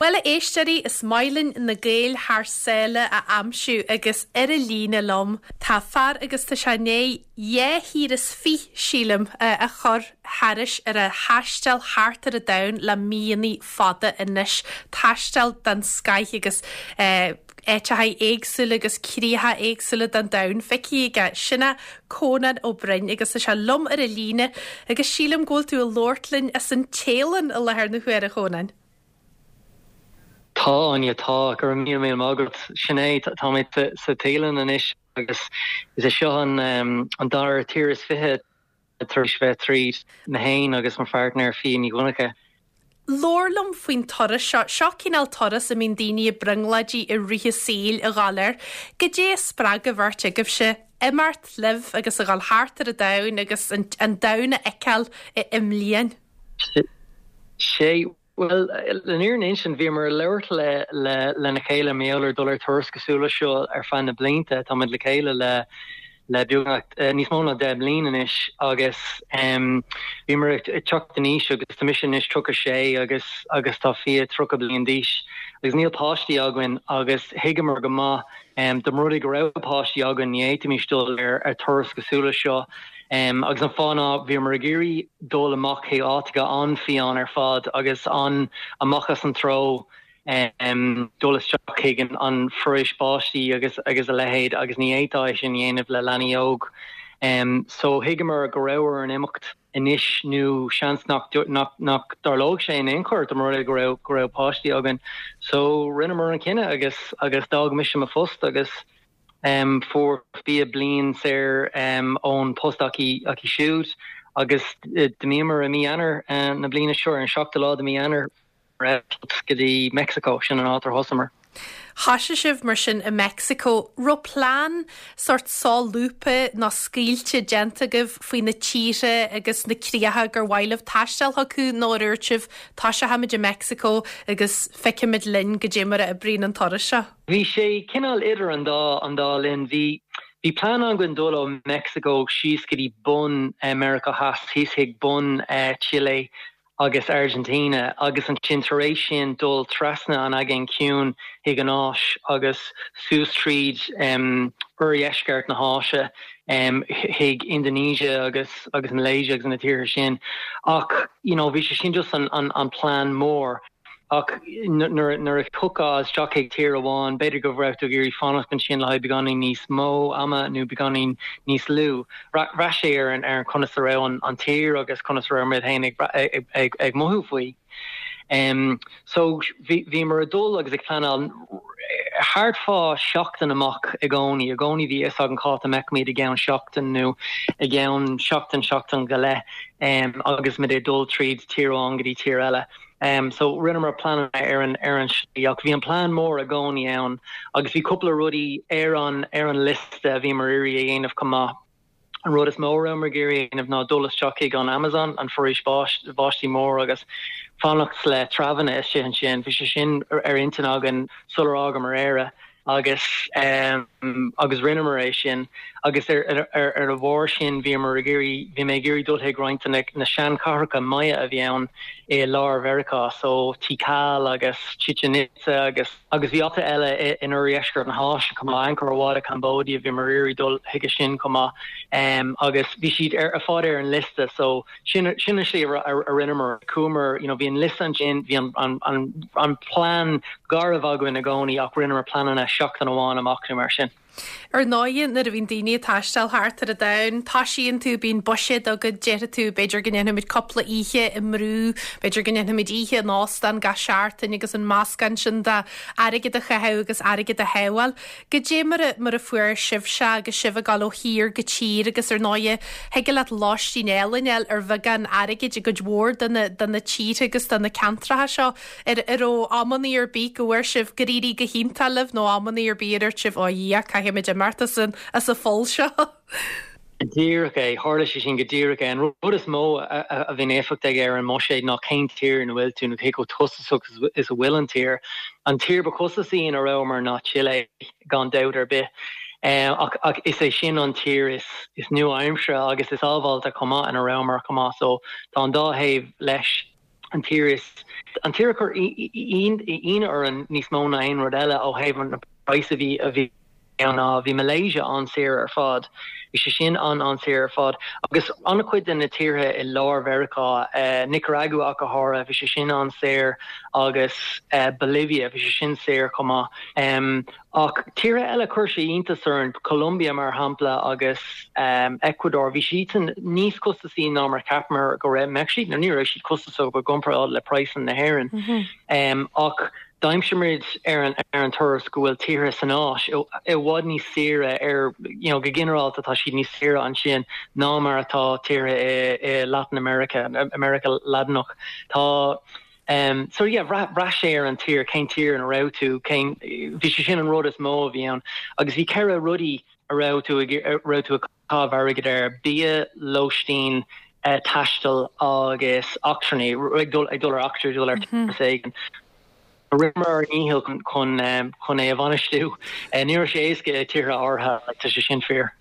Bhuel, a éisteoirí, is maith linn na Gaeil thar sáile a aimsiú agus ar an líne liom tá fear agus tá sé i ndiaidh dhá thír is fiche, sílim, a chur thairis ar a thaisteal thart ar an domhan le míonna fada anois. Taisteal den scoith agus áiteacha éagsúla agus críocha éagsúla den domhan feicthe aige. Sin é Cónán Ó Broin agus tá sé liom ar an líne agus sílim go bhfuil tú ag labhairt linn as an Téalainn i láthair na huaire, a Chónáin. Tá, Áine, tá. Go raibh míle míle maith agat. Sin é, tá mé sa Téalainn anois agus is é seo an dara tír is fiche tar éis bheith tríd, mé féin agus mo pháirtnéir Fia Ní Dhonncha. Labhair liom faoin turas seo. Seo cineál turas a mbíonn daoine i brionglóidí i rith a saoil a ghabháil air. Goidé a spreag an bheirt agaibhse imeacht libh agus a ghabháil thart ar an domhan agus an domhan a fheiceáil i mbliain? Sé, bhuel, le fírinne a insint, bhíomar ag labhairt le, le, lena chéile mar gheall ar dul ar turas cosúil leis seo ar feadh na blianta. Táimid le chéile le, le beagnach, níos mó ná 10 mbliain anois agus bhíomar ag teacht in aois agus tá mise anois 36 agus, agus tá Fia 30 bliain d'aois agus níl páistí againn agus thuigeamar go maith dá mba rud é go raibh páistí againn ní fhéadfaimis dul ar, ar turas cosúil leis seo. Agus an fáth ná bhíomar ag iarraidh dul amach chuig áiteacha an-fhiáin ar fad agus an amach as an treo, dul isteach chuig an foraois báistí agus agus a leithéid agus ní fhéadfá é sin a dhéanamh le leanaí óg. So thuigeamar go raibh orainn imeacht anois nó seans nach nach dtarlódh sé in aon chor dá mba rud é go raibh go raibh páistí againn. So rinneamar an cinneadh agus agus d'fhág mise mo phost agus Fuair Fia bliain saor ón post aici siúd agus d'imíomar i mí Eanáir na bliana seo, ar an seachtú lá de mí Eanáir, ar eitilt go dtí Meicsiceo, sin an áit ar thosamar. Thoisigh sibh mar sin i Meicsiceo. Raibh plean sórt solúbtha nó scaoilte déanta agaibh faoi na tíortha agus na críocha gur mhaith libh taisteal chucu nó ar dhúirt sibh toiseochaimid i Meicsiceo agus feicfimid linn goidé mar a oibríonn an turas seo? Bhí sé cineál idir an dá an dá linn. Bhí bhí plean againn dul ó Meicsiceo síos go dtí bun Meiriceá Theas, thíos chuig bun Chile agus Argentina agus ansin tar éis sin dul trasna an Aigéan Ciúin chuig an Áis agus suas tríd oirdheisceart na hÁise chuig Indonesia agus agus Malaysia agus na tíortha sin. Ach you know bhí sé sin just an an an plean mór. Ach nuair a thiocfá isteach chuig tír amháin, b'fhéidir go raibh tú ag iarraidh fanacht ansin le haghaidh beagáinín níos mó ama nó beagáinín níos lú. Bhraith sé ar an conas a raibh an tír agus conas a raibh muid féin ag mothú faoi. So bhíomar ag dul agus ag pleanáil thart fá seachtain amach i gcónaí. I gcónaí bhí a fhios againn cá háit a mbeadh muid i gceann seachtain nó i gceann seachtain, seachtain go leith agus muid ag dul tríd tír amháin go dtí tír eile. So rinneamar pleananna ar an ar an slí ach bhí an plean mór i gcónaí ann agus bhí cúpla rudaí ar an ar an liosta a bhíomar iarraidh a dhéanamh chomh maith. An rud is mó a rabhamar ag iarraidh a dhéanamh ná dul isteach chuig an Amazon, an foraois báistí mór agus fanacht le treabhanna istigh ansin. Bhí sé sin ar intinn againn sular fhágamar Éire. agus agus rinneamar é sin agus ar ar ar a bharr sin bhíomar ag iarraidh, bhí mé ag iarraidh dul chuig roinnt de na na seanchathracha Maya a bhí ann i lár Mheiriceá, so Tikal agus Chichen Itza agus agus bhí áiteacha eile i in oirdheisceart na hÁise chomh maith, Angkor Wat i Cambodia, bhíomar ag iarraidh dul chuige sin chomh maith agus bhí siad ar fad ar an liosta so Sin sin an slí a rinneamar. Chuamar, you know, bhí an liosta ansin, bhí an an an an plean garbh againn i gcónaí ach rinneamar pleananna seachtain amháin amach nó mar sin. Ar ndóighe, nuair a bhíonn daoine ag taisteal thart ar an domhan, toisíonn tú, bíonn buiséad agat, déarfaidh tú, b'fhéidir go ndéanfaimid cúpla oíche i mbrú, b'fhéidir go ndéanfaimid oíche in óstán gach seachtain agus an meascán sin de airgead a chaitheamh agus airgead a shábháil. Goidé mar a, mar a fuair sibhse agus sibh ag dul ó thír go tír agus ar ndóighe thig leat lóistín álainn a fháil ar bheagán airgid i gcuid mhór de na, de na tíortha agus de na ceantracha seo. Ar, ar raibh amannaí ar bith go bhfuair sibh gur éirigh go hiontach libh nó amannaí ar bith a dúirt sibh, ó a Dhia, caithfimid imeacht as an, as an pholl seo? Go díreach é. Tharla sé sin go díreach é. An rud is mó a bhíonn éifeacht aige ar an mbuiséad ná cén tír ina bhfuil tú nó cé chomh costasach is a bhfuil an tír. An tír ba chostasaí ina rabhamar ná Chile, gan dabht ar bith. Ach is é sin an tír is nua-aimseartha agus is sábháilte chomh maith ina rabhamar chomh maith. So tá an dá thaobh leis. An tír is, an tír a chuir ionadh orainn níos mó ná aon rud eile ó thaobh an praghas a bhí a bhí ann ná bhí Malaysia an-saor ar fad. Bhí sé sin an-an-saor ar fad. Agus an-chuid de na tíortha i lár Mheiriceá, Nicaragua ach go háirithe, bhí sé sin an-saor agus Bolivia, bhí sé sin saor chomh maith. Ach tíortha eile chuir sé iontas orainn, Colombia mar shampla agus Ecuador, bhí siadsan níos costasaí ná mar cheapamar go raibh, mbeadh siad, nó ní raibh siad costasach i gcomparáid le praghsanna na hÉireann. Ach d'aimsigh muid ar an ar an turas go bhfuil tíortha san Áis i bhfad níos saoire ar, you know, go ginearálta tá siad níos saoire ansin ná mar atá tíortha i i Latin America, Meiriceá Laidineach. Tá. So yeah, bhraith, bhraith sé ar an tír, cén tír ina raibh tú, cén, bhí sé sin an rud is mó a bhí ann. Agus bhí 4 rudaí a raibh tú ag, a raibh tú ag caitheamh airgid air, bia, lóistín, taisteal agus eachtrannaí, ag dul, ag dul ar eachtra, ag dul ar turas éigin. Rinneamar ár ndícheall chun, chun, chun é a bhainistiú. Ní raibh sé éasca i tíortha áirithe, tá sé sin fíor.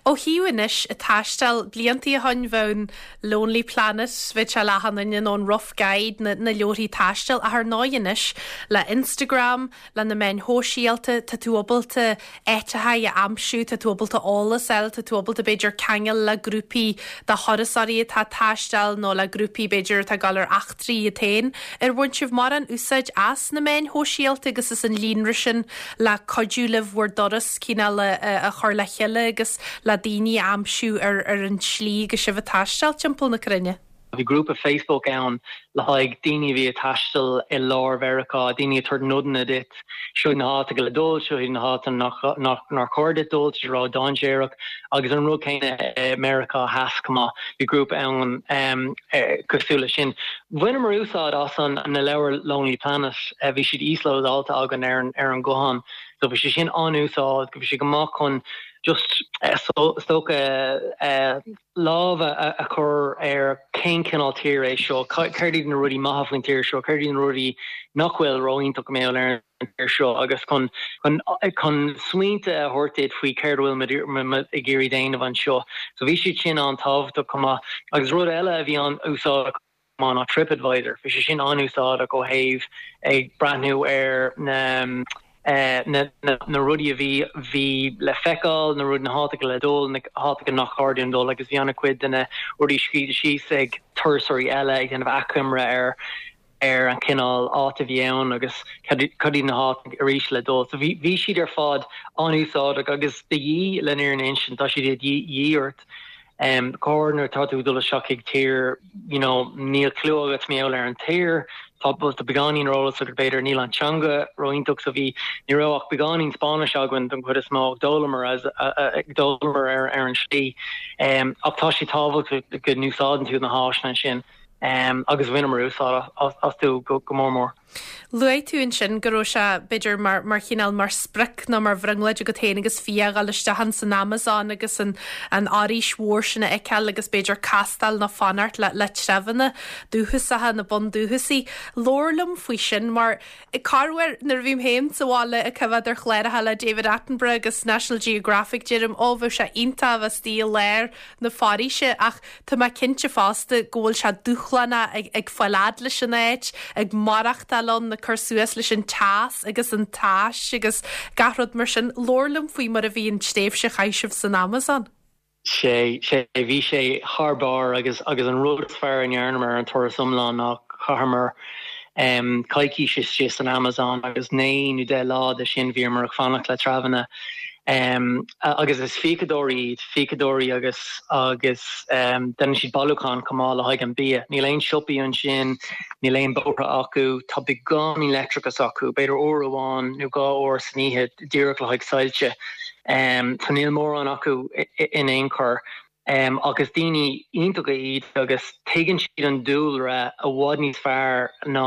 Ó thaobh anois ag taisteal, bliantaí ó shoin bheadh an Lonely Planet, bheadh sé le achan duine, nó an Rough Guide, na na leabharthaí taistil, ach ar ndóigh anois le Instagram, le na meáin shóisialta, tá tú ábalta áiteacha a aimsiú, tá tú ábalta eolas a fháil, tá tú ábalta b'fhéidir ceangal le grúpaí de thurasóirí atá ag taisteal nó le grúpaí b'fhéidir atá ag dul ar eachtraí iad féin. Ar bhain sibh mórán úsáid as na meáin shóisialta agus as an líonra sin le cuidiú libh bhur dturas cineál a chur le chéile agus le daoine a aimsiú ar ar an tslí agus sibh ag taisteal timpeall na cruinne. Bhí grúpa Facebook ann le haghaidh daoine a bhí ag taisteal i lár Mheiriceá, daoine ag tabhairt nodanna duit, seo iad na háiteacha le dul, seo iad na háiteanna nach nár chóir duit dul, tá sé ró-dainséarach. Agus an rud céanna i Meiriceá Theas chomh maith, bhí grúpa ann cosúil leis sin. Bhaineamar úsáid as an na leabhair Lonely Planet, bhí siad íoslódáilte againn ar an ar an guthán. So bhí sé sin an-úsáideach, bhí sé go maith chun just is dócha lámh a chur ar cén cineál tír é seo, céard iad na rudaí maithe faoin tír seo, céard iad na rudaí nach bhfuil ró-iontach mar gheall ar an tír seo agus chun chun smaointe a thabhairt duit faoi céard a bhfuil muid ag iarraidh déanamh anseo. So bhí siad sin an-tábhachtach chomh maith. Agus rud eile a bhí an-úsáideach, ná TripAdvisor. Bhí sé sin an-úsáideach ó thaobh ag breathnú ar na na rudaí a bhí bhí le feiceáil, na rud na háiteacha le dul, na háiteacha nach chóir dúinn dul agus bhí an-chuid de na rudaí scríte síos ag turasóirí eile ag déanamh achoimre ar ar an chineál áit a bhí ann agus cad iad na háiteacha arís le dul. So bhí bhí siad ar fad an-úsáideach agus de dhíth le an fhírinne a insint, tá siad de dhíth ort. Go háirithe nuair atá tú ag dul isteach chuig tír, you know, níl clue agat mar gheall ar an tír, tá beagáinín ar eolas agat b'fhéidir, níl an teanga ró-iontach so bhí, ní raibh ach beagáinín Spáinnis againn don chuid is mó ach d'fhoghlaimeamar as, d'fhoghlaimeamar ar ar an slí. Ach tá sé tábhachtach go n-úsáideann tú na háiseanna sin agus bhaineamar úsáid astu go mór mór. Luaigh tú ansin go raibh sé, b'fhéidir, mar, mar chineál, mar sprioc nó mar bhrionglóid agat féin agus Fia a dhul isteach ins an Amazon agus an, an fhoraois mhór sin a fheiceáil agus b'fhéidir castáil nó fanacht le, le treibheanna dúchasacha, na bundúchasaigh. Labhair liom faoi sin mar, corruair, nuair a bhím féin sa bhaile ag coimhéad ar chláracha le David Attenborough agus National Geographic deirim, ó, bheadh sé iontach a bheith istigh i lár na foraoise ach Tá mé cinnte fosta go bhfuil sé dúshlánach ag fáil fhad leis an áit, ag maireachtáil ann, ag cur suas leis an teas agus an tais agus gach rud mar sin. Labhair liom faoi mar a bhí an tréimhse a chaith sibh san Amazon. Sé, sé, bhí sé thar barr agus agus an rud is fearr a ndearnamar ar an turas iomlán ná chaitheamar coicís istigh san Amazon agus 9 nó 10 lá de sin bhíomar ag fanacht le treibheanna. Agus is fíodóirí iad, fíodóirí agus agus déanann siad bailiúchán chomh maith le haghaidh an bia. Níl aon siopaí ansin, níl aon bóithre acu, tá beagáinín leictreachas acu, b'fhéidir uair amháin nó dhá uair san oíche díreach le haghaidh soilse. So níl mórán acu in aon chor. Ach is daoine iontacha iad agus tuigeann siad an dúlra i bhfad níos fearr ná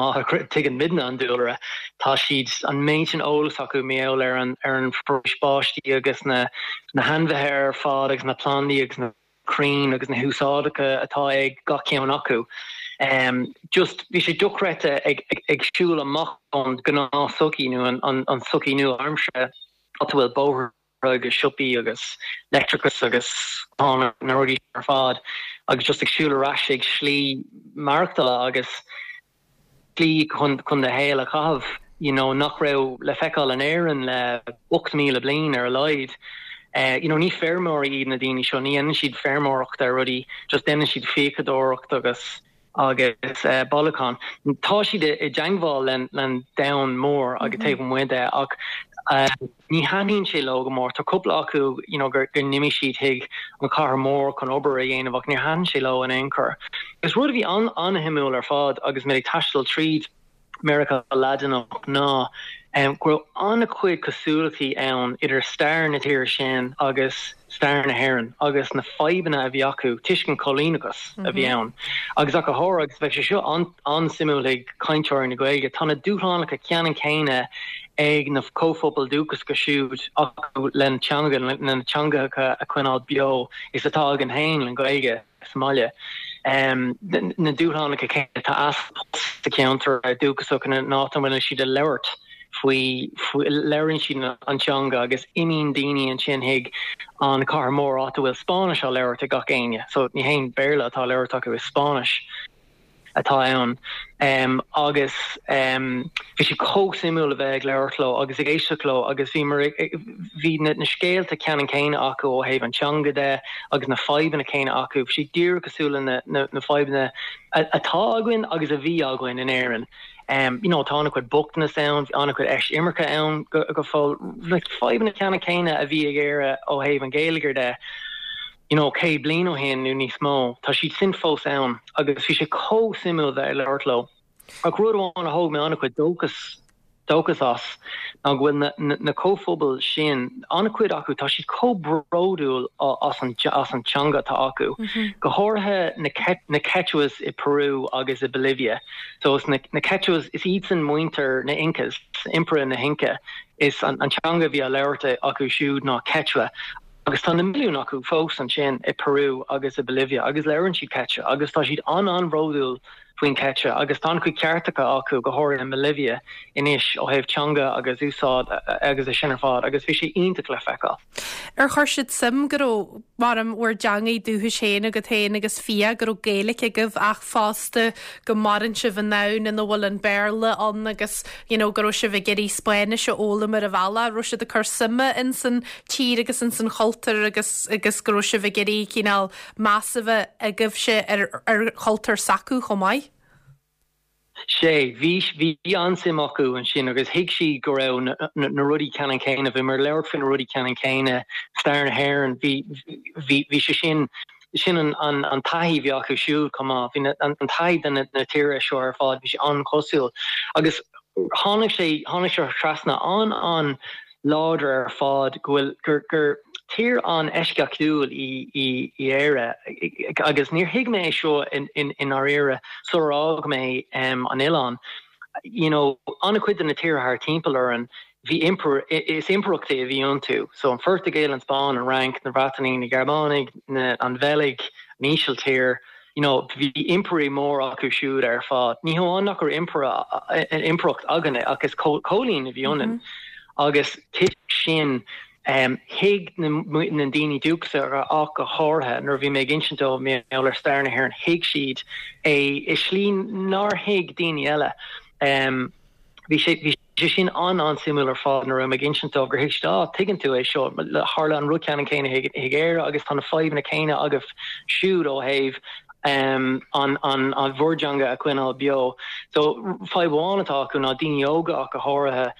tuigeann muidne an dúlra. Tá siad, an méid sin eolas acu mar gheall ar an ar an bhforaois báistí agus na na hainmhithe ar fad agus na plandaí agus na crainn agus na húsáideacha atá ag gach ceann acu. Just bhí sé dochreidte ag ag siúl amach ón gnáth-sochaí nó an an sochaí nua-aimseartha áit a bhfuil bóithre agus siopaí agus leictreachas agus na rudaí ar fad agus just ag siúl ar ais ag slí maireachtála agus. slí chun do shaol a chaitheamh you know nach raibh le feiceáil in Éirinn le 8,000 bliain ar a laghad. You know ní feirmeoirí iad na daoine seo, ní dhéanann siad feirmeoireacht ar rudaí, just déanann siad fíodóireacht agus agus bailiúchán. Tá siad i dteangmháil len domhan mór agus taobh amuigh de ach ní thaitníonn sé leo go mór. Tá cúpla acu you know gur d'imigh siad chuig an chathair mór chun obair a dhéanamh ach níor thaitin sé leo in aon chor. Agus rud a bhí an-shuimiúil ar fad agus mé ag taisteal tríd Meiriceá Laidineach ná go raibh an-chuid cosúlachtaí ann idir stair na tíre sin agus stair na hÉireann agus na fadhbanna a bhí acu toisc an coilíneachas a bhí ann. Agus ach go háirithe, agus bheadh sé seo an-suimiúil ag cainteoirí na Gaeilge, tá na dúshlánacha ceannann céanna ag na comhphobail dúchasacha siúd acu lena teanga, lena teangacha a choinneáil beo is atá againn féin le Gaeilge. sa mbaile. Na dúshlánacha céanna, tá easpa post sa cheantar dúchasach ina n-áit a bhfuil siad ag labhairt faoi, labhraíonn siad an teanga agus imíonn daoine ansin chuig an chathair mór áit a bhfuil Spáinnis á labhairt ag gach éinne. So ní haon Béarla atá á labhairt acu, is Spáinnis. atá ann agus bhí sé chomh suimiúil a bheith ag labhairt leo agus ag éisteacht leo agus bhí mar bhí na scéalta ceannann céanna acu ó thaobh an teanga de agus na fadhbanna céanna acu. Bhí sé díreach cosúil le na na fadhbanna atá againn agus a bhí againn in Éirinn. You know, tá an-chuid bochtanas ann, bhí an-chuid eisimirce ann go go fóill. Na fadhbanna ceannann céanna a bhí ag Éire ó thaobh an gheilleagair de. you know, 100 bliain ó shin nó níos mó, tá siad sin fós ann agus bhí sé chomh suimiúil bheith ag labhairt leo. Ach rud amháin a thóg mé an-chuid dóchas, dóchas as ná go bhfuil na, na, na comhphobail sin, an-chuid acu, tá siad chomh bródúil as an, as an teanga atá acu, go háirithe na, na Quechuas i Peru agus i Bolivia. So is na, na Quechuas, is iadsan muintir na Incas, Impire na hInca, is an, an teanga a bhí á labhairt acu siúd ná Quechua. Agus tá na milliúin acu fós ansin i Peru agus i Bolivia agus labhrann siad Quechua agus tá siad an-an-bhródúil faoin Quechua agus tá an-chuid ceartacha acu, go háirithe i mBolivia anois ó thaobh teanga agus úsáid agus é sin ar fad agus bhí sé iontach le feiceáil. Ar chuir siad suim go raibh, mar bhur dteangaidh dúchais féin agat féin agus fiú go raibh Gaeilge agaibh ach fosta go maireann sibh i ndomhan ina bhfuil an Béarla ann agus you know go raibh sibh ag iarraidh Spáinnis a fhoghlaim ar an bhealach, raibh siad ag cur suime ins an tír agus ins an chultúr agus agus go raibh sibh ag iarraidh cineál meas a bheith agaibhse ar ar chultúr s'acu chomh maith? Sea, bhí, bhí an-suim acu ansin agus thuig siad go raibh na, na, na rudaí ceannann céanna, bhíomar ag labhairt faoi na rudaí ceannann céanna, stair na hÉireann, bhí, bhí, bhí sé sin, sin an, an, an taithí a bhí acu siúd chomh maith, bhí na, an, an taithí de na, na tíortha seo ar fad, bhí sé an-chosúil agus tháinig sé, tháinig sé trasna an, an, láidir ar fad go bhfuil, gur, gur tír an-eisceachtúil í, í, í Éire agus níor thuig mé é seo i, i, i ndáiríre sular fhág mé an oileán. You know, an-chuid de na tíortha thar timpeall orainn, bhí impire, is impireachtaí a bhí iontu. So an Phortaingéil, an Spáinn, an Fhrainc, na Breatanaigh, na Gearmánaigh, na, an Bheilg, an Ísiltír, you know, bhí impirí móra acu siúd ar fad. Ní hamháin nach raibh impire, impireacht againne ach is cóilín a bhí ionainn. Agus toisc sin, thuig na daoine dúchasacha ach go háirithe, nuair a bhí mé ag insint dóibh mar gheall ar stair na hÉireann, thuig siad é i slí nár thuig daoine eile. Bhí sé, bhí sé sin an-an-suimiúil ar fad nuair a raibh mé ag insint dóibh gur thuig siad, ah, tuigeann tú é seo, tharla an rud ceannann céanna chuig Éire agus tá na fadhbanna céanna agaibh siúd ó thaobh an, an, an bhur dteanga a choinneáil beo. So, fadhb amháin atá acu ná daoine óga ach go háirithe,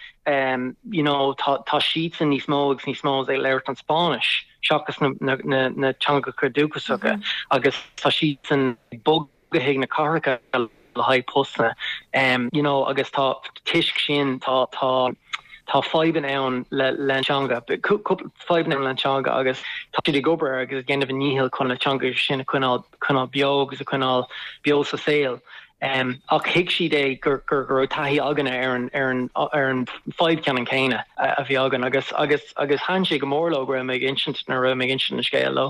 you know, tá, tá siadsan níos mó agus níos mó ag labhairt an Spáinnis seachas na, na, na, na teangacha dúchasacha agus tá siadsan ag bogadh chuig na cathracha le haghaidh postanna you know agus tá toisc sin tá tá tá fadhbanna ann le le an teanga cúpla fadhbanna ann le an teanga agus tá siad ag obair agus ag déanamh a ndícheall chun na teanga sin a choinneáil coinneáil beo agus a choinneáil beo sa saol. Um, ach thuig siad é gur gur go raibh taithí againne ar an ar an ar an fadhb ceannann céanna a, a bhí againn agus agus agus thaitin sé go mór leo go raibh mé ag insint nuair a raibh mé ag insint an scéal leo.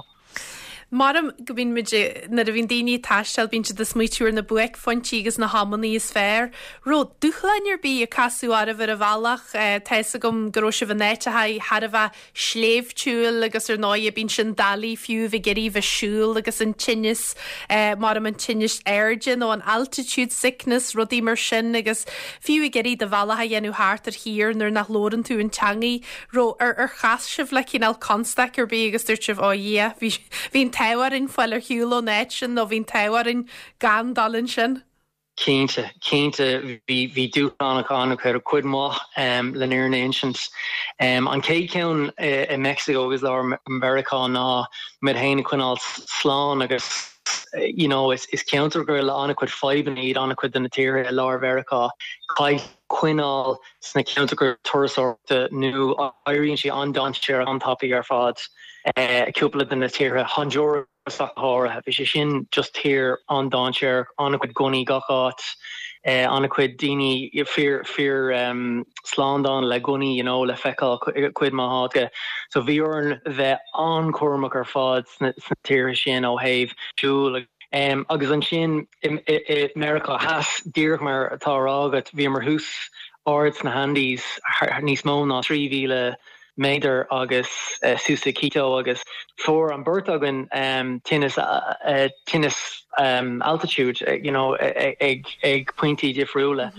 Maram go mbíonn muid, nuair a bhíonn daoine ag taisteal, bíonn siad ag smaoitiú ar na buaicphointí agus na hamannaí is fearr. Raibh dúshláin ar bith a casadh oraibh ar an bhealach? Tá fhios agam go raibh sibh in áiteacha thar a bheith sléibhtiúil agus ar ndóighe bíonn sin doiligh fiú a bheith ag iarraidh bheith siúl agus an tinneas, maram an tinneas airde nó an altitude sickness, rudaí mar sin agus fiú ag iarraidh do bhealach a dhéanamh thart ar thír nuair nach labhrann tú an teangaidh. Raibh, ar, ar chas sibh le cineál constaic ar bith agus dúirt sibh, ó Dhia, bhí, bhí an t-ádh orainn fáil ar shiúl ón áit sin nó bhí an t-ádh orainn gan dul ansin? Cinnte, cinnte, bhí, bhí dúshlánacha an-chuid, cuid mhaith len fhírinne a insint. An chéad cheann i Meicsiceo agus lár Mheiriceá ná muid féin a choinneáil slán agus you know is, is ceantracha le an-chuid fadhbanna iad an-chuid de na tíortha i lár Mheiriceá. Caithfidh coinneáil sna ceantracha turasóireachta nó éiríonn sé an-dainséarach an-tapaidh ar fad. Cúpla de na tíortha, Honduras ach go háirithe, bhí sé sin just tír an-dainséarach, an-chuid gunnaí gach áit, an-chuid daoine fir fir slándála le gunnaí you know le feiceáil cuid mhaith áiteacha. So bhí orainn bheith an-chúramach ar fad sna tíortha sin ó thaobh siúl agus ansin i Meiriceá Theas, díreach mar atá á rá agat, bhíomar thuas ard sna hAndes, níos mó ná 3,000 méadar agus suas i Quito agus fuair an beirt againn tinneas, tinneas altitude, you know, ag ag pointí difriúla.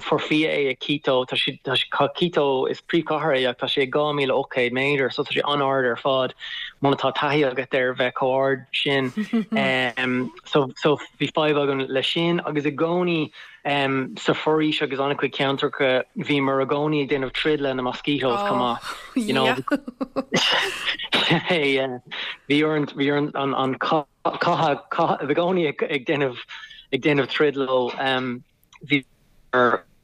Fuair Fia é i Quito, tá sé, tá sé, Quito is príomhchathair é ach tá sé ag 2,800 méadar so tá sé an-ard ar fad muna tá taithí agat ar bheith chomh ard sin. So, so bhí fadhb againn leis sin agus i gcónaí sa foraois agus an-chuid ceantracha bhíomar i gcónaí ag déanamh troid le na mosquitoes chomh maith. You know, yeah. Bhí orainn, bhí orainn an, an cath, cath, i gcónaí ag déanamh, ag déanamh troid leo. Bhí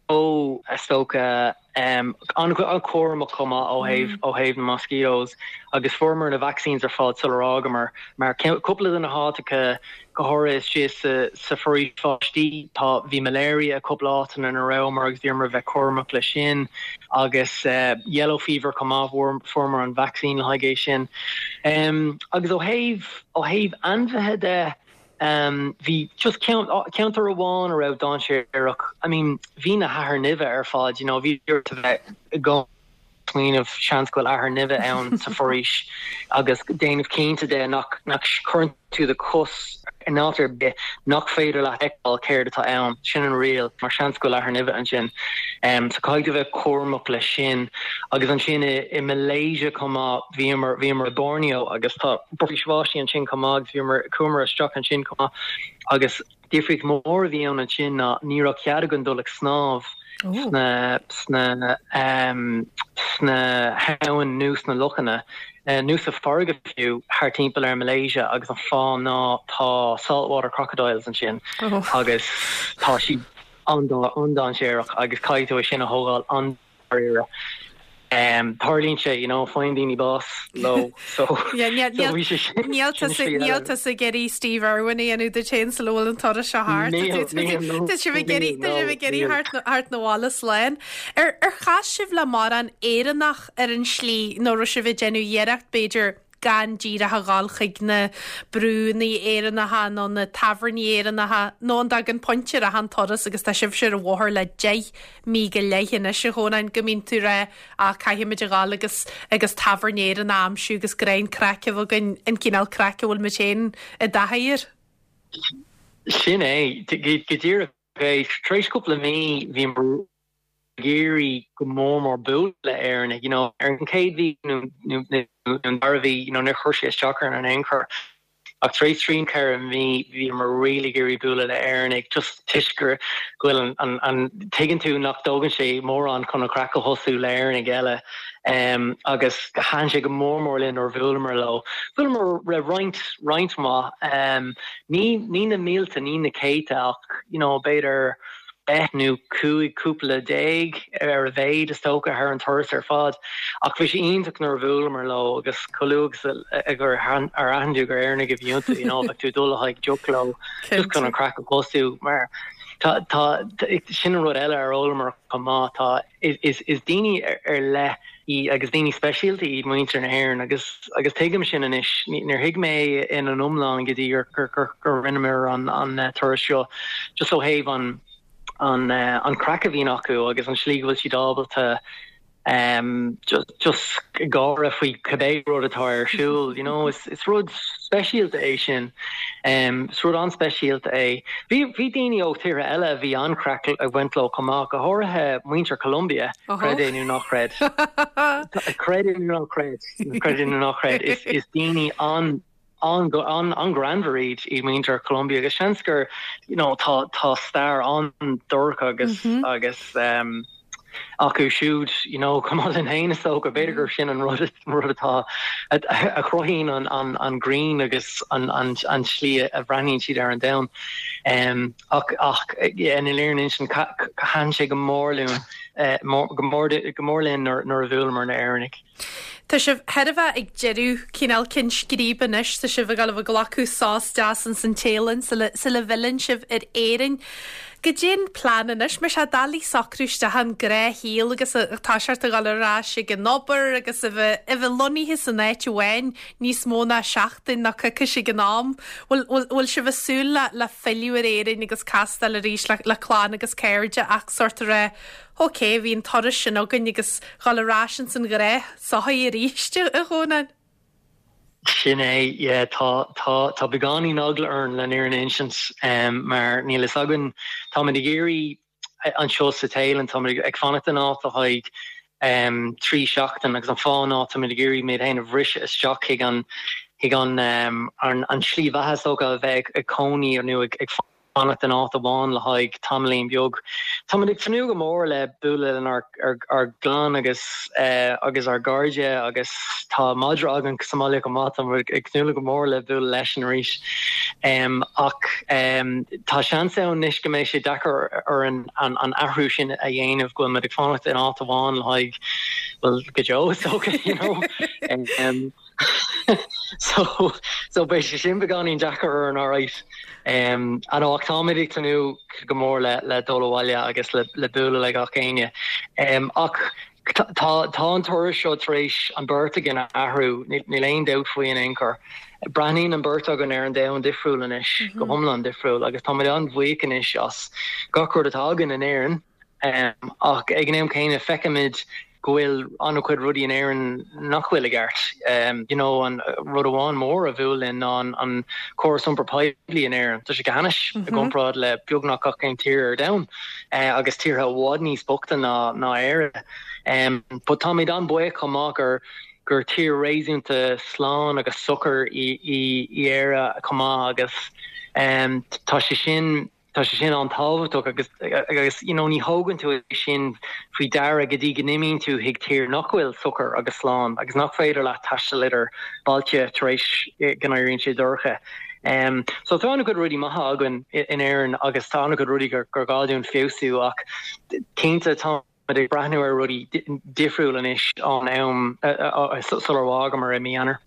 ó, is dócha, an-chúramach chomh maith ó thaobh ó thaobh na mosquitoes agus fuaireamar na vaccines ar fad sular fhágamar mar cúpla de na háiteacha go háirithe istigh sa sa foraois bháistí tá bhí malaria i cúpla áiteanna ina rabhamar agus bhíomar a bheith cúramach leis sin agus yellow fever chomh maith fuaireamar an vaccine le haghaidh é sin. Agus ó thaobh ó thaobh ainmhithe de Bhí just ceantar amháin a raibh dainséarach, I mean bhí na hathair nimhe ar fad, you know, bhí ort a bheith i gcónaí ag smaoineamh seans go bhfuil athair nimhe ann sa foraois agus déanamh cinnte de nach nach cuireann tú do chos in áit ar bith nach féidir leat fheiceáil céard atá ann, sin an riail, mar seans go bhfuil athair nimhe ansin. So caithfidh tú bheith cúramach leis sin. Agus ansin i i Malaysia chomh maith, bhíomar bhíomar i Borneo agus tá foraois bháistí ansin chomh maith agus bhíomar, chuamar isteach ansin chomh maith agus difríocht mhór a bhí ann ansin ná ní raibh cead againn dul ag snámh sna, sna, sna habhainn nó sna lochanna nó sa farraige fiú thart timpeall ar Malaysia agus an fáth ná tá saltwater crocodiles ansin agus tá siad an-dainséarach agus caithfidh tú é sin a thógáil an dáiríre. Tarlaíonn sé, you know, faigheann daoine bás leo, so so bhí sé sin Níl tusa níl tusa ag iarraidh Steve Irwin a dhéanamh duit féin sula bhfuil an turas seo thart. Níl, níl, no, Tá sibh ag iarraidh tá sibh ag iarraidh theacht theacht 'na bhaile slán. Ar ar chas sibh le mórán Éireannach ar an slí nó raibh sibh ag déanamh iarracht b'fhéidir gan díreach a dhul chuig na brúnna Éireannacha nó na tábhairní Éireannacha nó an dtagann pointe ar achan turas agus tá sibhse ar an bhóthar le 10 mí go leith anois a Chónáin go mbíonn tú ag rá ah caithfimid a dhul agus agus tábhairne Éireannach a aimsiú agus greim craic a bheith againn an cineál craic a bhfuil muid féin i dtaithí air. Sin é, go díreach é. Tar éis cúpla mí bhíomar ag iarraidh go mór mór bualadh le Éireannaigh, you know, ar an chéad mhí nó an dara mhí, you know, níor chuir sé isteach orainn in aon chor. Ach tar éis trí nó 4 mhí bhíomar really ag iarraidh bualadh le Éireannaigh just toisc gur go bhfuil an, an, an, tuigeann tú nach dtógann sé mórán chun an chraic a thosú le Éireannaigh eile um, agus thaitin sé go mór mór linn nuair a bhuaileamar leo. Bhuaileamar le roinnt, roinnt mhaith, um, ní, ní na mílte, ní na céadta ach, you know, b'fhéidir 10 nó 15 cúpla ar a mhéad is dócha thar an turas ar fad. Ach bhí sé iontach nuair a bhuaileamar leo agus chomh luath agus gur ar aithin tú gur Éireannaigh a bhí iontu, you know, bheadh tú ag dul le haghaidh deoch leo just chun an craic a thosú mar. Tá, tá, sin an rud eile ar fhoghlamar chomh maith, tá, is, is daoine ar leith í agus daoine speisialta iad muintir na hÉireann agus, agus tuigim sin anois. Níor thuig mé é ina iomlán go dtí gur, gur, gur, gur rinneamar an, an turas seo just ó thaobh an, an, an craic a bhíonn acu agus an slí go bhfuil siad ábalta just gáire faoi cibé rud atá ar siúl, you know, is is rud speisialta é sin. Is rud an-speisialta é. Bhí bhí daoine ó tíortha eile a bhí an-chraic ag baint leo chomh maith, go háirithe muintir Colombia, creid é nó ná creid. Creid é nó ná creid, creid é nó ná creid, is is daoine an an-ghreannmhar iad iad muintir Colombia agus seans gur you know tá tá stair an-dorcha agus agus um, acu siúd you know chomh maith linn féin is dócha b'fhéidir gur sin an rud rud atá a, a chruthaíonn an, an, an greann agus an, an, an tslí a bhreathnaíonn siad ar an domhan. Um, ach ach yeah, le fírinne a insint thaitin sé go mór linn uh, go mór go mór linn nuair nuair a bhuaileamar na Éireannaigh. Tá sibh chóir a bheith ag deireadh cineál cinn scríbe anois, tá sibh ag dul a bheith ag glacadh sos deas ins an Téalainn sula bhfilleann sibh ar Éirinn. Goidé an plean anois, mar tá sé doiligh socrú isteach an gnáthshaol agus tá sé ort a dhul ar ais ag an obair agus a bheith a bheith lonnaithe san áit amháin níos mó ná seachtain nó coicís ag an am. Bhfuil bhfuil bhfuil sibh ag súil le le filleadh ar Éirinn agus castáil arís le le clann agus cairde ach sórt a rá Ok, bhí an turas sin againn agus dhul ar ais ins an ghnáth-sochaí arís, a Dhomhnaill. Sin é, yeah, tá, tá, tá beagáinín eagla orainn le an fhírinne a insint, mar níl fhios againn, táimid ag iarraidh anseo sa Téalainn, táimid ag fanacht in áit le haghaidh 3 seachtain agus an fáth ná táimid ag iarraidh muid féin a bhriseadh isteach chuig an, chuig an, an tslí bheatha is dócha a bheith ag cónaí nó ag fanacht in áit amháin le haghaidh tamaillín beag. Táimid ag tnúth go mór le bualadh lenár ár gclann agus agus ár gcairde agus tá madra againn sa mbaile chomh maith, táimid ag tnúth go mór le bualadh leisean arís. Ach tá seans ann anois go mbeidh sé deacair orainn an an athrú sin a dhéanamh, go bhfuil muid ag fanacht in áit amháin le haghaidh, bhuel, go deo is dócha, you know. So so beidh sé sin beagáinín deacair orainn alright. Um, I know ach táimid ag tnúth go mór le le dul abhaile agus le le bualadh le gach éinne. Um, ach tá tá an turas seo tar éis an beirt againn a athrú, níl aon dabht faoi in aon chor. Breathnaíonn an beirt againn ar an domhan difriúil anois, go hiomlán difriúil, agus táimid an-bhuíoch anois as gach rud atá againn in Éirinn. Ach ag an am céanna feicimid go bhfuil an-chuid rudaí in Éirinn nach bhfuil i gceart. You know, an rud amháin mór a bhuail linn ná an córas iompar poiblí in Éirinn. Tá sé go hainnis i gcomparáid le beagnach gach aon tír ar domhan agus tíortha i bhfad níos boichte ná ná Éire. But táimid an-bhuíoch chomh maith gur gur tír réasúnta slán agus socair í í Éire chomh maith agus tá sé sin Tá sé sin an-tábhachtach agus agus you know ní thógann tú é sin faoi deara go dtí go n-imíonn tú chuig tír nach bhfuil socair agus slán agus nach féidir leat taisteal idir bailte tar éis go n-éiríonn sé dorcha. Um, so tá an-chuid rudaí maithe againn in Éirinn agus tá an-chuid rudaí gur, gur gá dúinn feabhsú ach cinnte tá muid ag breathnú ar rudaí difriúil anois ón am sular fhágamar i mí Eanáir.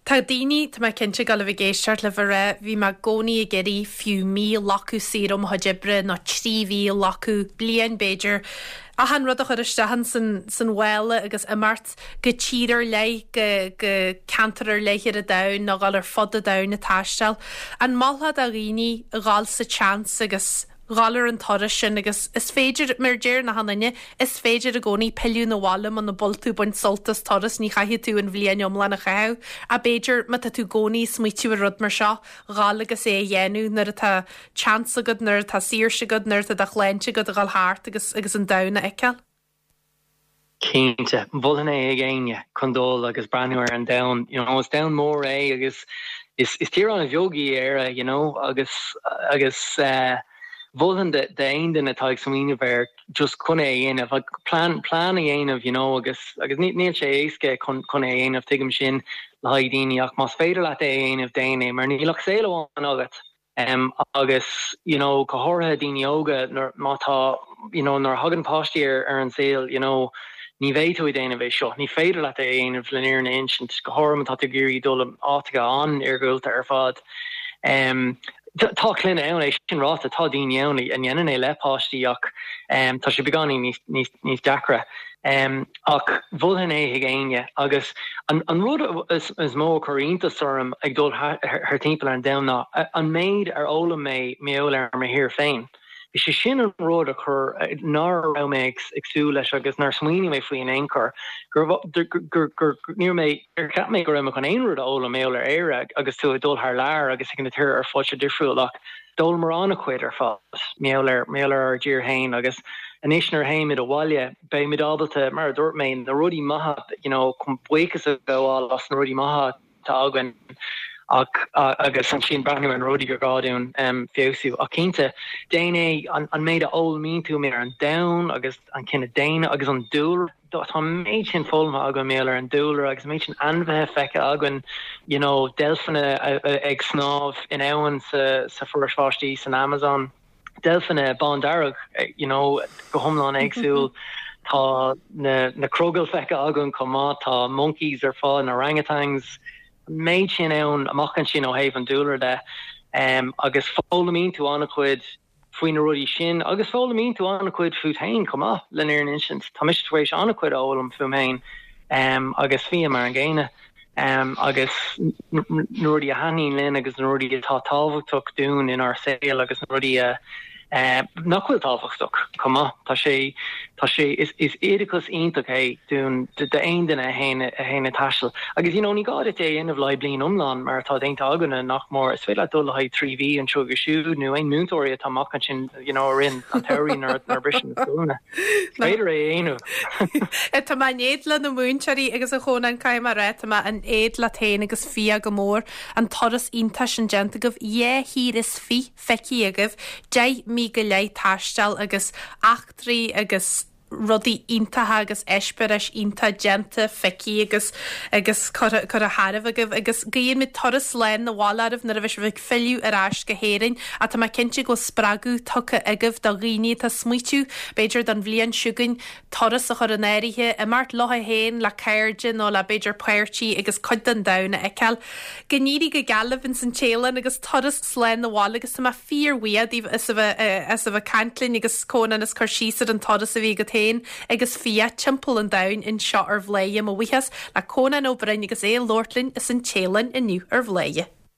Tá daoine, tá mé cinnte, ag dul a bheith ag éisteacht libh ag rá, bhí mé i gcónaí ag iarraidh fiú mí a ghlacadh saor ó mo chuid oibre nó 3 mhí a ghlacadh, bliain b'fhéidir, achan rud a chur isteach in san, san mhála agus imeacht go tír ar leith, go, go ceantar ar leith ar an domhan nó dhul ar fud an domhain ag taisteal. An molfá do dhaoine a dhul sa tseans agus dhul ar an turas sin agus is féidir, mar a deir achan duine, is féidir i gcónaí pilleadh 'na bhaile muna bhfuil tú ag baint sult as turas, ní chaithfidh tú an bhliain iomlán a chaitheamh. Ach b'fhéidir, má tá tú i gcónaí ag smaoitiú ar rud mar seo, dhul agus é a dhéanamh nuair atá chance agat, nuair atá saoirse agat, nuair atá do shláinte agat a dhul thart agus agus an domhan a fheiceáil. Cinnte, mholfainn é ag éinne chun dul agus breathnú ar an domhan. You know, is domhan mór é agus is is tír an-bheag í Éire, you know, agus agus eh, mholfainn d'aon duine atá ag smaoineamh air just chun é a dhéanamh, like, plean plean a dhéanamh, you know, agus agus ní níl sé éasca chun chun é a dhéanamh, tuigim sin le haghaidh daoine ach más féidir leat é a dhéanamh, déan é mar níl ach saol amháin agat. Agus you know go háirithe daoine óga nuair má tá you know nuair a thagann páistí ar ar an saol you know ní bheidh tú ag déanamh é seo, ní féidir leat é a dhéanamh le an fhírinne a insint, go háirithe má tá tú ag iarraidh dul in áiteacha an-iargúlta ar fad. Tá clainne ann, é sin ráite, tá daoine ann a ndéanann é le páistí ach tá sé beagáinín níos, níos deacra. Ach mholfainn é chuig éinne agus an rud is mó a chuir iontas orm ag dul thar timpeall ar an domhan ná an méid ar fhoghlaim mé mar gheall ar mo thír féin. Is é sin an rud a chuir, nár raibh mé ag súil leis agus nár smaoinigh mé faoi in aon chor, gur, gur, gur, ní raibh mé, níor cheap mé go raibh mé chun aon rud a fhoghlaim mar gheall ar Éire agus tú ag dul thar lear agus ag na tíortha ar fad seo difriúil ach d'fhoghlaimear an-chuid ar fad mar gheall ar, mar gheall ar ár dtír féin agus anois nuair a théimid abhaile beimid ábalta, mar a dúirt mé, na rudaí maithe, you know, chun buíochas a ghabháil as na rudaí maithe atá againn ach agus ansin breathnú ar na rudaí gur gá dúinn feabhsú. Ach cinnte, déan é, an méid a fhoghlaimíonn tú ar an domhan agus an cine daonna agus an dúlra, tá an méid sin foghlamtha againn mar gheall ar an dúlra agus an méid sin ainmhithe feicthe againn, you know, deilfeanna ag snámh in abhainn sa sa foraois bháistí san Amazon. Deilfeanna bándearg, you know, go hiomlán éagsúil. Tá na na crogaill feicthe againn chomh maith, tá monkeys ar fáil, na orangutans, an méid sin ann amach ansin ó thaobh an dúlra de. Agus foghlaimíonn tú an-chuid faoi na rudaí sin agus foghlaimíonn tú an-chuid fút féin chomh maith, le fírinne a insint. Tá mise tar éis an-chuid a fhoghlaim fúm féin agus Fia mar an gcéanna. agus na rudaí a thaitníonn linn agus na rudaí atá tábhachtach dúinn inár saol agus na rudaí a nach bhfuil tábhachtach chomh maith. Tá sé, tá sé, is, is oideachas iontach é dúinn, d'aon duine a théann, a théann ag taisteal. Agus you know ní gá duit é a dhéanamh le haghaidh bliain iomlán mar atá déanta againne nach mór, is féidir leat dul le haghaidh 3 mhí anseo agus siúd nó aon múinteoirí atá amach ansin you know i rith an tsamhraidh nuair a briseann na scoileanna. Is féidir é a dhéanamh. Tá mé in éad le na múinteoirí agus a Chónáin, caithfidh mé a rá, tá mé in éad leat féin agus Fia go mór. An turas iontach sin déanta agaibh, dhá thír is fiche feicthe agaibh, 10 mí go leith taistil agus eachtraí agus rudaí iontacha agus eispéiris iontach déanta, feicthe agus agus curtha curtha tharaibh agaibh agus guíonn muid turas slán 'na bhaile oraibh nuair a bheidh sibh ag filleadh ar ais go hÉirinn ach tá mé cinnte go bhfuil spreagadh tugtha agaibh do dhaoine atá ag smaoitiú b'fhéidir don bhliain seo chugainn turas a chur in áirithe, imeacht leo féin, le cairde nó le b'fhéidir páirtí agus cuid den domhan a fheiceáil. Go n-éirí go geal libh ins an Téalainn agus turas slán 'na bhaile agus tá mé fíor-bhuíoch díbh as a bheith as a bheith ag caint linn agus Cónán as cur síos ar an turas a bhí agat féin agus Fia timpeall an domhain anseo ar Bhladhaire. Mo bhuíochas le Cónán Ó Broin agus é ag labhairt linn as an Téalainn inniu ar Bhladhaire.